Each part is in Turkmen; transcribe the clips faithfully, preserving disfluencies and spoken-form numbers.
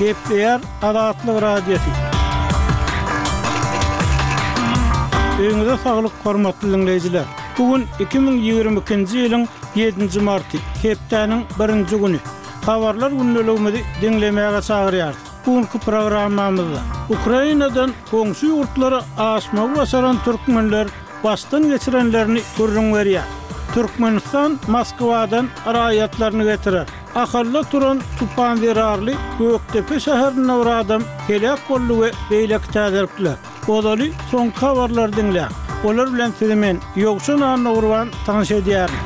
Gepleýär Azatlyk Radiosy. Öýüňize saglyk, hormatly diňleýjiler! Bu gün iki müň ýigrimi ikinji ýylyň ýedinji marty, hepdäniň birinji güni. Habarlar gündeligimizi diňlemäge çagyrýarys. Bu günki programmamyzda Ukrainadan goňşy ýurtlara aşmagy başaran türkmenler başdan geçirenlerini gürrüň berýär. Türkmenistan Moskwadan raýatlaryny getirer. Ahalda turan tupan zerarly Gökdepe şäherinde bir adam heläk boldy we beýleki täzelikler. Ozaly soňky habarlary diňläň. Olar bilen sizi men, Ýowşan Annagurban tanyş edýärin.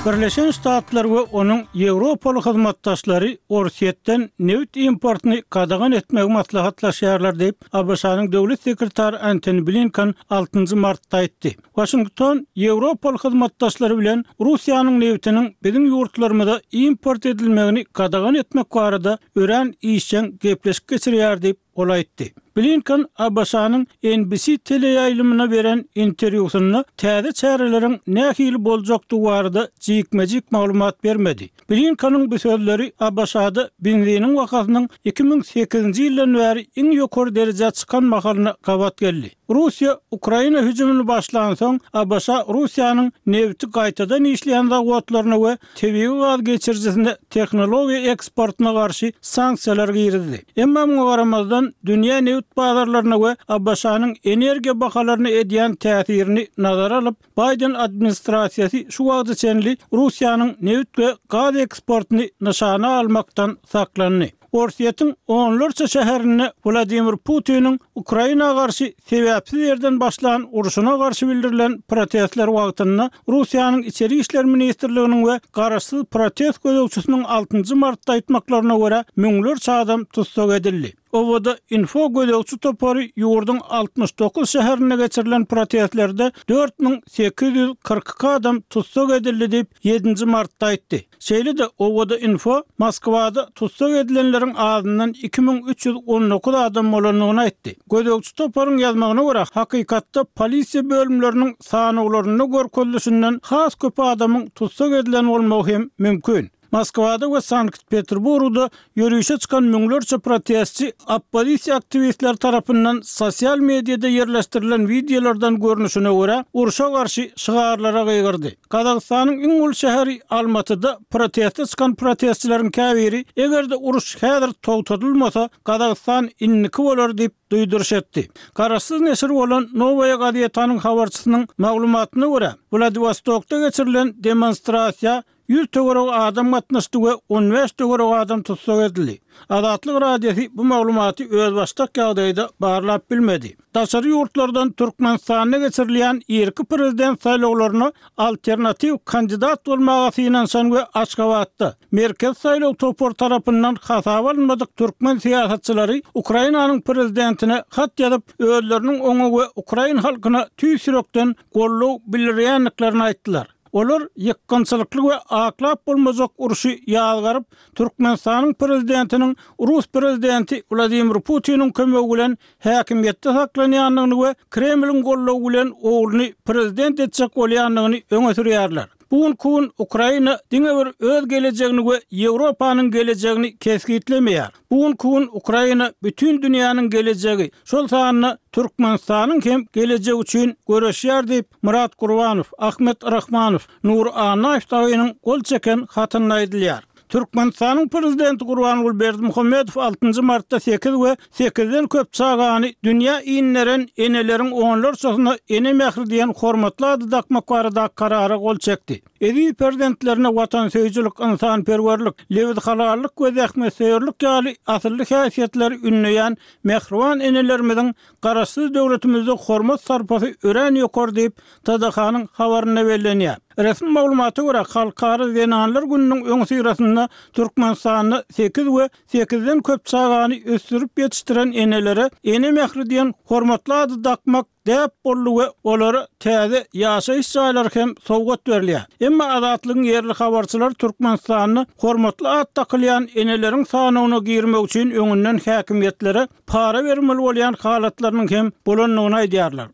Birleşen Ştatlar we onuň ýewropaly hyzmatdaşlary Orsýetden nebit importyny gadagan etmegi maslahatlaşýarlar diýip, ABŞ-nyň döwlet sekretary Antony Blinken altynjy martda aýtdy. Waşington ýewropaly hyzmatdaşlary bilen Russiýanyň nebitiniň biziň ýurtlarymyza import edilmegini gadagan etmek barada örän işjeň gepleşik geçirýär diýip, ol aýtdy. Blinken ABŞ-nyň N B C teleýaýlymyna beren interwýusynda täze çäreleriň nähili boljakdygy barada jikme-jik maglumat bermedi. Blinkeniň bu sözleri ABŞ-da benziniň bahasynyň iki müň sekizinji ýyldan bäri iň ýokary derejä çykan mahalyna gabat geldi. Russiýa Ukraina hüjümini başlansoň, ABŞ Russiýanyň nebiti gaýtadan işleýän zawodlaryna we tebigy gaz geçirijisine tehnologiýa eksportyna garşy sanksiýalar girizdi. Emma muňa garamazdan, dünýä nebit bazarlaryna we ABŞ-nyň energiýa bahalaryna edýän täsirini nazara alyp, Baýden administrasiýasy şu wagta çenli Russiýanyň nebit we gaz eksportyny nyşana almakdan saklandy. Orsýetiň onlarça şäherinde Wladimir Putiniň Ukraina garşy sebäpsiz ýerden başlan urşuna garşy bildirilen protestler wagtynda Russiýanyň Içeri işler ministrliginiň we garaşsyz protest gözegçisiniň altynjy martda aýtmaklaryna görä, müňlerçe adam tussag edildi. Owada Info gözegçi topary ýurduň altmyş dokuz şäherinde geçirilen protestlerde dört müň sekiz ýüz kyrk iki adam tussag edildi diýip, ýedinji martda aýtdy. Şeýle-de Owada Info Moskwada tussag edilenleriň azyndan iki müň üç ýüz on dokuz adam bolandygyny aýtdy. Gözegçi toparyň ýazmagyna görä, hakykatda polisiýa bölümleriniň sanawlarynda görkezilişinden has köp adamyň tussag edilen bolmagy hem mümkin. Moskwada we Sankt-Peterburgda ýörişe çykan müňlerçe protestçi oppozisiýa aktiwistleri tarapyndan sosial mediada ýerleşdirilen wideolardan görnüşine görä, urşa garşy şygarlara gygyrdy. Gazagystanyň iň uly şäheri Almatyda proteste çykan protestçileriň käbiri, eger-de uruş häzir togtadylmasa, Gazagystan indiki bolar diýip duýduryş etdi. Garaşsyz neşir bolan Nowaýa gazetanyň habarçysynyň maglumatyna görä, Wladiwostokda geçirilen demonstrasiýa ýüz töweregi adam gatnaşdy we on bäş töweregi adam tussag edildi. Azatlyk Radiosy bu maglumaty özbaşdak ýagdaýda barlap bilmedi. Daşary ýurtlardan Türkmenistanda geçirilýän irki prezident saýlawlaryna alternatiw kandidat bolmaga synanyşan we Aşgabatda Merkezi saýlaw topary tarapyndan hasaba alynmadyk türkmen syýasatçylary Ukrainanyň prezidentine hat ýazyp, özleriniň oňa we ukrain halkyna tüýs ýürekden goldaw bildirýändiklerini aýtdylar. Olar ýykgynçylykly we aklap bolmajak urşy ýazgaryp, Türkmenistanyň prezidentiniň rus prezidenti Wladimir Putiniň kömegi bilen häkimiýetde saklanýandygyny we Kremliň goldawy bilen ogluny prezident etjek bolýandygyny öňe sürýärler. Bu günki gün Ukraina diňe bir öz gelejegini we Ýewropanyň gelejegini kesgitlemeýär. Bu günki gün Ukraina bütin dünýäniň gelejegi, şol sanda Türkmenistanyň hem gelejegi üçin göreşýär diýip, Myrat Gurbanow, Ahmet Rahmanow, Nury Annaýew dagynyň gol çeken hatynda aýdylýar. Türkmenistanyň Prezidenti Gurbanguly Berdimuhamedow altynjy martda sekiz we sekizden köp çagany dünýä inderen eneleriň onlarçasyna ene mähri diýen hormatly ady dakmak barada karara gol çekdi. Eziz perzentlerine watansöýüjilik, ynsanperwerlik, lebizhalallyk we zähmetsöýerlik ýaly asylly häsiýetleri ündeýän mähriban enelerimiziň Garaşsyz döwletimizde hormat sarpasy örän ýokary diýip, T D H-nyň habarynda bellenýär. Resmi maglumata görä, Halkara zenanlar gününiň öňüsyrasynda Türkmenistanda sekiz we sekizden köp çagany ösdürip ýetişdiren enelere ene mähri diýen hormatly ady dakmak däp boldy we olara täze ýaşaýyş jaýlary hem sowgat berilýär. Emma Azatlygyň ýerli habarçylary Türkmenistanda hormatly at dakylýan eneleriň sanawyna girmek üçin öňünden häkimiýetlere para bermeli bolýan halatlarynyň hem bolandygyny aýdýarlar.